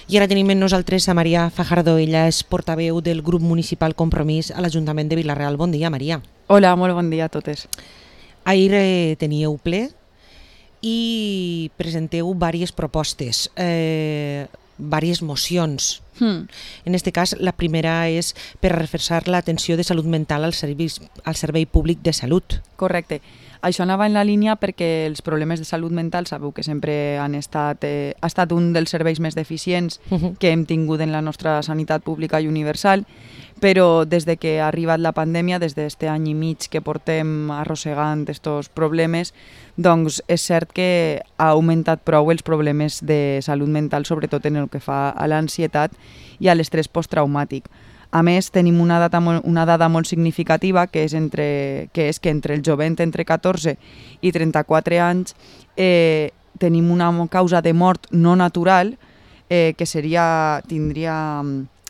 I ara tenim amb nosaltres a Maria Fajardo, ella és portaveu del grup municipal Compromís a l'Ajuntament de Vila-real. Bon dia, Maria. Hola, molt bon dia a totes. Ahir teníeu ple i presenteu diverses propostes, diverses mocions. En aquest cas, la primera és per reforçar l'atenció de salut mental al servei públic de salut. Correcte. Això anava en la línia perquè els problemes de salut mental sabeu que sempre ha estat un dels serveis més deficients que hem tingut en la nostra sanitat pública i universal, però des de que ha arribat la pandèmia, des d'aquest any i mig que portem arrossegant aquests problemes, doncs és cert que ha augmentat prou els problemes de salut mental, sobretot en el que fa a l'ansietat i a l'estrès posttraumàtic. A més, tenim una dada molt significativa que és que entre el jovent entre 14 i 34 anys tenim una causa de mort no natural que tindria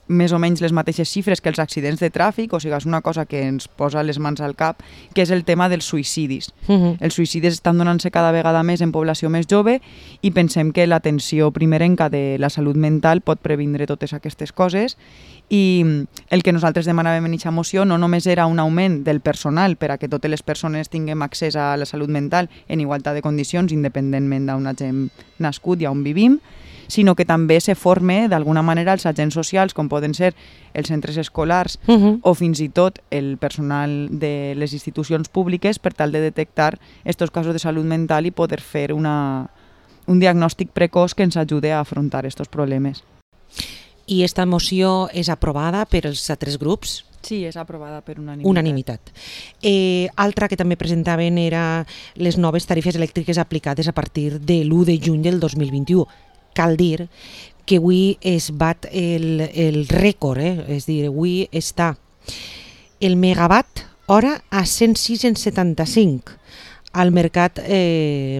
més o menys les mateixes xifres que els accidents de tràfic, o sigui, és una cosa que ens posa les mans al cap, que és el tema dels suïcidis. Els suïcidis estan donant-se cada vegada més en població més jove i pensem que l'atenció primerenca de la salut mental pot previndre totes aquestes coses, i el que nosaltres demanàvem en aquesta moció no només era un augment del personal per a que totes les persones tinguem accés a la salut mental en igualtat de condicions, independentment d'on hagin nascut i on vivim, sinó que també se forme d'alguna manera els agents socials, com poden ser els centres escolars o fins i tot el personal de les institucions públiques, per tal de detectar aquests casos de salut mental i poder fer un diagnòstic precoç que ens ajude a afrontar aquests problemes. I esta moció és aprovada per els altres grups? Sí, és aprovada per unanimitat. Unanimitat. Altra que també presentaven era les noves tarifes elèctriques aplicades a partir de l'1 de juny del 2021. Cal dir que avui es bat el rècord, és a dir, avui està el megawatt hora a 106,75 al mercat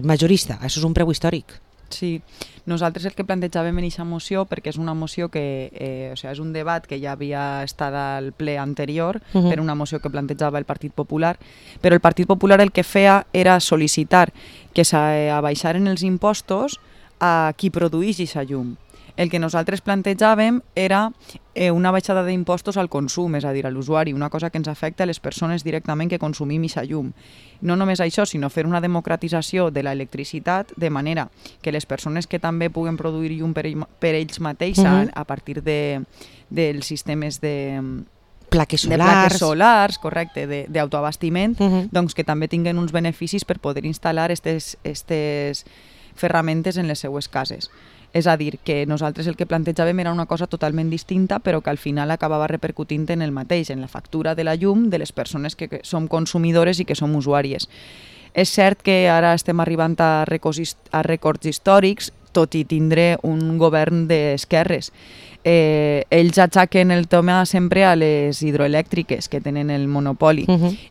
majorista. Això és un preu històric. Sí, nosaltres el que plantejàvem en aquesta moció, perquè és una moció que és un debat que ja havia estat al ple anterior, per una moció que plantejava el Partit Popular, però el Partit Popular el que feia era sol·licitar que s'abaixaren els impostos a qui produeix aquesta llum. El que nosaltres plantejàvem era una baixada d'impostos al consum, és a dir, a l'usuari, una cosa que ens afecta a les persones directament que consumim aquesta llum. No només això, sinó fer una democratització de l'electricitat, de manera que les persones que també puguen produir llum per ells mateixes a partir dels sistemes de plaques solars, correcte, d'autoabastiment, doncs que també tinguen uns beneficis per poder instal·lar aquestes ferramentes en les seues cases. És a dir, que nosaltres el que plantejàvem era una cosa totalment distinta, però que al final acabava repercutint en el mateix, en la factura de la llum de les persones que som consumidores i que som usuàries. És cert que ara estem arribant a rècords històrics, tot i tindre un govern d'esquerres. Ells atxaquen el tema sempre a les hidroelèctriques que tenen el monopoli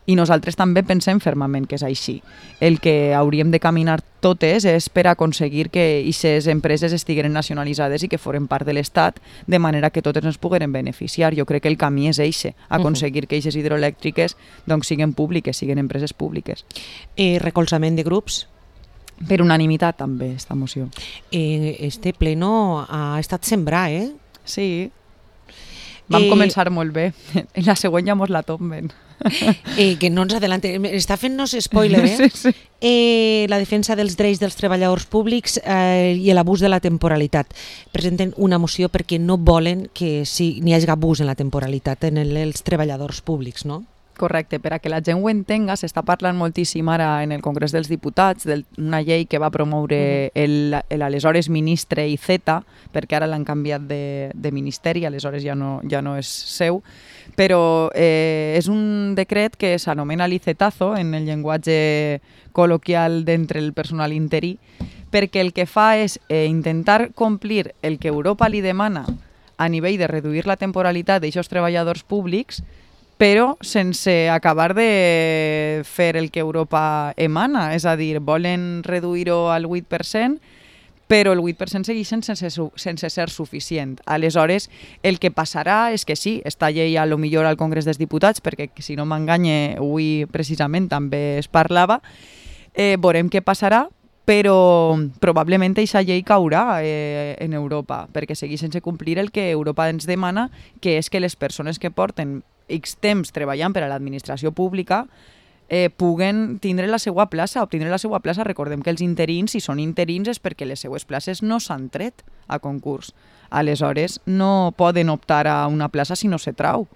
i nosaltres també pensem fermament que és així. El que hauríem de caminar totes és per aconseguir que aquestes empreses estiguin nacionalitzades i que foren part de l'Estat, de manera que totes ens pogueren beneficiar. Jo crec que el camí és eixe, aconseguir que aquestes hidroelèctriques siguin públiques, siguin empreses públiques. Recolzament de grups? Per unanimitat també, esta moció. Este pleno ha estat sembrar, Sí, vam començar molt bé. En la següent ja mos la tomben. Que no ens adelanten, està fent-nos spoiler, Sí. La defensa dels drets dels treballadors públics i l'abús de la temporalitat. Presenten una moció perquè no volen que n'hi hagi abús en la temporalitat en els treballadors públics, no? Correcte, per a que la gent ho entenga, s'està parlant moltíssim ara en el Congrés dels Diputats d'una llei que va promoure l'aleshores ministre Iceta, perquè ara l'han canviat de ministeri, aleshores ja no és seu, però és un decret que s'anomena l'Icetazo en el llenguatge col·loquial d'entre el personal interí, perquè el que fa és intentar complir el que Europa li demana a nivell de reduir la temporalitat d'aquests treballadors públics, però sense acabar de fer el que Europa emana, és a dir, volen reduir-ho al 8%, però el 8% segueix sense ser suficient. Aleshores, el que passarà és que sí, esta llei a lo millor al Congrés dels Diputats, perquè si no m'enganye, avui precisament també es parlava, veurem què passarà, però probablement aquesta llei caurà en Europa, perquè segueix sense complir el que Europa ens demana, que és que les persones que porten X temps treballant per a l'administració pública puguen tindre la seva plaça, obtindre la seva plaça. Recordem que els interins, si són interins, és perquè les seues places no s'han tret a concurs. Aleshores, no poden optar a una plaça si no se trau.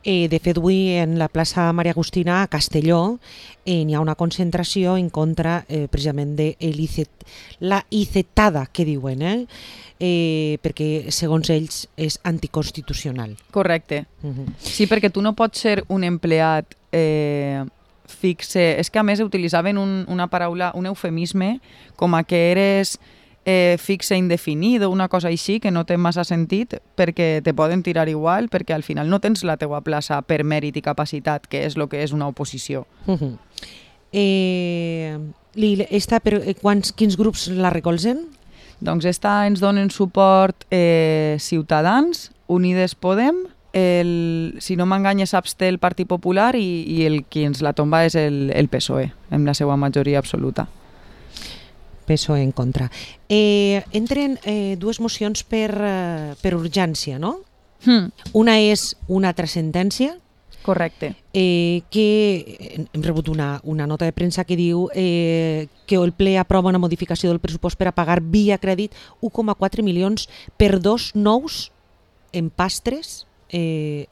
De fet, avui en la plaça Maria Agustina a Castelló n'hi ha una concentració en contra precisament de la icetada, que diuen, perquè segons ells és anticonstitucional. Correcte. Sí, perquè tu no pots ser un empleat fixe. És que a més utilitzaven una paraula, un eufemisme, com a que eres fixe indefinit o una cosa així que no té massa sentit, perquè te poden tirar igual, perquè al final no tens la teua plaça per mèrit i capacitat, que és el que és una oposició. Quins grups la recolzen? Doncs ens donen suport Ciutadans, Unides Podem, si no m'enganya s'absté el Partit Popular i el qui ens la tomba és el PSOE, amb la seva majoria absoluta. PSOE en contra. Entren dues mocions per urgència, no? Una és una transcendència. Correcte. Que hem rebut una nota de premsa que diu que el ple aprova una modificació del pressupost per a pagar via crèdit 1,4 milions per 2 nous empastres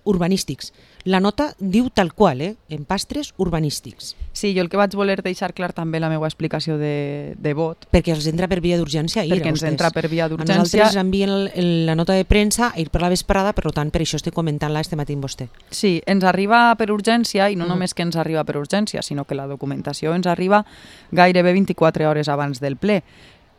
urbanístics. La nota diu tal qual, empastres urbanístics. Sí, jo el que vaig voler deixar clar també la meva explicació de vot. Perquè els entra per via d'urgència ahir. Perquè ens entra per via d'urgència. A nosaltres envien la nota de premsa ahir per la vesprada, per tant, per això estic comentant-la este matí amb vostè. Sí, ens arriba per urgència, i no només que ens arriba per urgència, sinó que la documentació ens arriba gairebé 24 hores abans del ple.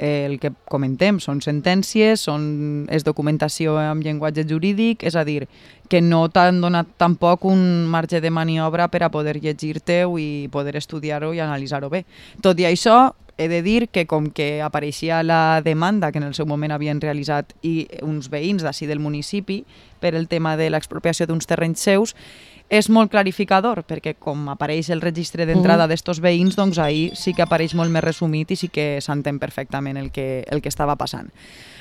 El que comentem són sentències, és documentació amb llenguatge jurídic, és a dir, que no t'han donat tampoc un marge de maniobra per a poder llegir-te-ho i poder estudiar-ho i analitzar-ho bé. Tot i això, he de dir que com que apareixia la demanda que en el seu moment havien realitzat i uns veïns d'ací del municipi per el tema de l'expropiació d'uns terrenys seus, és molt clarificador, perquè com apareix el registre d'entrada d'estos veïns, doncs ahir sí que apareix molt més resumit i sí que s'entén perfectament el que estava passant.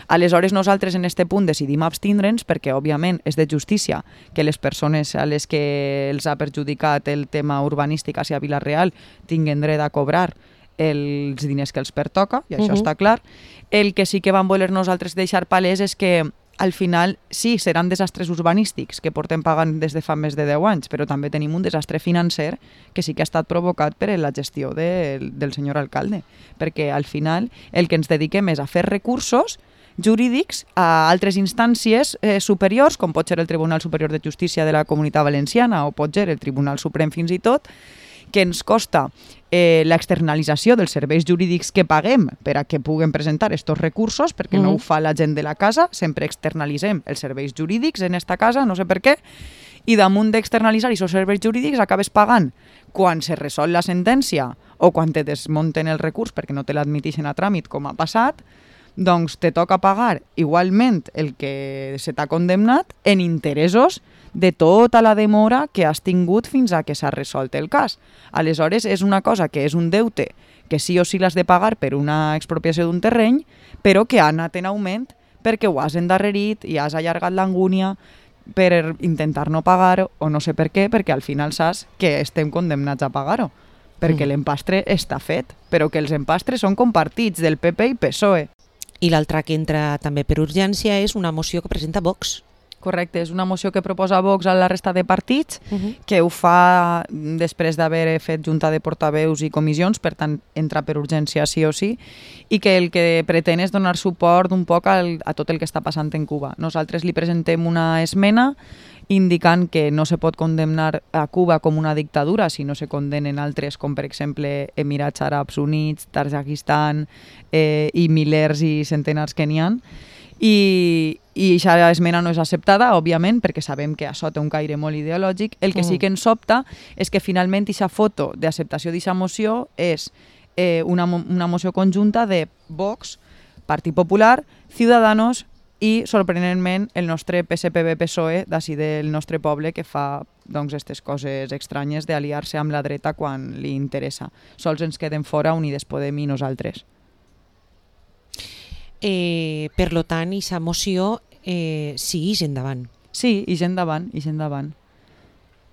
Aleshores, nosaltres en este punt decidim abstindre'ns perquè, òbviament, és de justícia que les persones a les que els ha perjudicat el tema urbanístic a Vila-real tinguin dret a cobrar els diners que els pertoca, i això està clar. El que sí que vam voler nosaltres deixar palès és que al final, sí, seran desastres urbanístics que portem pagant des de fa més de 10 anys, però també tenim un desastre financer que sí que ha estat provocat per la gestió del senyor alcalde, perquè al final el que ens dediquem és a fer recursos jurídics a altres instàncies superiors, com pot ser el Tribunal Superior de Justícia de la Comunitat Valenciana o pot ser el Tribunal Suprem fins i tot, que ens costa l'externalització dels serveis jurídics que paguem per a que puguen presentar aquests recursos, perquè no ho fa la gent de la casa, sempre externalitzem els serveis jurídics en esta casa, no sé per què, i damunt d'externalitzar aquests serveis jurídics acabes pagant quan se resol la sentència o quan te desmunten el recurs perquè no te l'admitixen a tràmit, com ha passat, doncs te toca pagar igualment el que se t'ha condemnat en interessos de tota la demora que has tingut fins a que s'ha resolt el cas. Aleshores, és una cosa que és un deute que sí o sí l'has de pagar per una expropiació d'un terreny, però que ha anat en augment perquè ho has endarrerit i has allargat l'angúnia per intentar no pagar-ho, o no sé per què, perquè al final saps que estem condemnats a pagar-ho, perquè l'empastre està fet, però que els empastres són compartits del PP i PSOE. I l'altra que entra també per urgència és una moció que presenta Vox. Correcte, és una moció que proposa Vox a la resta de partits, que ho fa després d'haver fet junta de portaveus i comissions, per tant entra per urgència sí o sí, i que el que pretén és donar suport un poc a tot el que està passant en Cuba. Nosaltres li presentem una esmena indicant que no se pot condemnar a Cuba com una dictadura si no se condenen altres, com per exemple Emirats Àrabs Units, Tadjikistan i milers i centenars que n'hi ha. I aquesta esmena no és acceptada, òbviament, perquè sabem que això té un caire molt ideològic. El que sí que ens sobta és que finalment aquesta foto d'acceptació d'aquesta moció és una moció conjunta de Vox, Partit Popular, Ciudadanos i, sorprenentment, el nostre PSPB-PSOE d'ací del nostre poble, que fa aquestes coses estranyes d'aliar-se amb la dreta quan li interessa. Sols ens queden fora Unides Podem i nosaltres. Per lo tant, aquesta moció sí, ix endavant. Sí, ix endavant, ix endavant.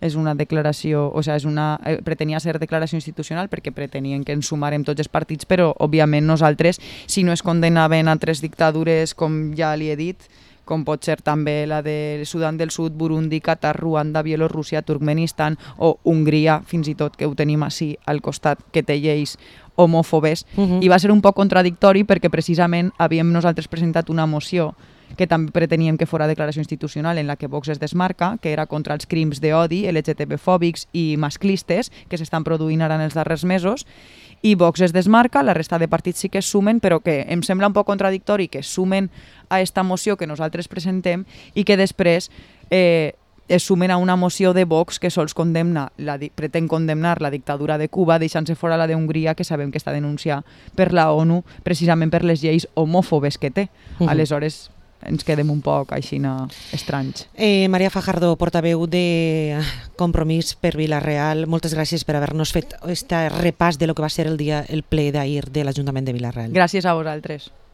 És una declaració, o sigui, pretenia ser declaració institucional perquè pretenien que ens sumarem tots els partits, però òbviament nosaltres, si no es condenaven altres dictadures, com ja li he dit, com pot ser també la de Sudan del Sud, Burundi, Qatar, Ruanda, Bielorússia, Turkmenistan o Hongria, fins i tot, que ho tenim així al costat, que té lleis homòfobes, i va ser un poc contradictori perquè precisament havíem nosaltres presentat una moció que també preteníem que fora declaració institucional en la que Vox es desmarca, que era contra els crims d'odi LGTB-fòbics i masclistes que s'estan produint ara en els darrers mesos, i Vox es desmarca, la resta de partits sí que es sumen, però que em sembla un poc contradictori que es sumen a esta moció que nosaltres presentem i que després es sumen a una moció de Vox que sols pretén condemnar la dictadura de Cuba, deixant-se fora la d'Hongria, que sabem que està denunciada per la ONU precisament per les lleis homòfobes que té. Aleshores, ens quedem un poc així estranys. Maria Fajardo, portaveu de Compromís per Vila-real, moltes gràcies per haver-nos fet aquest repàs de lo que va ser el ple d'ahir de l'Ajuntament de Vila-real. Gràcies a vosaltres.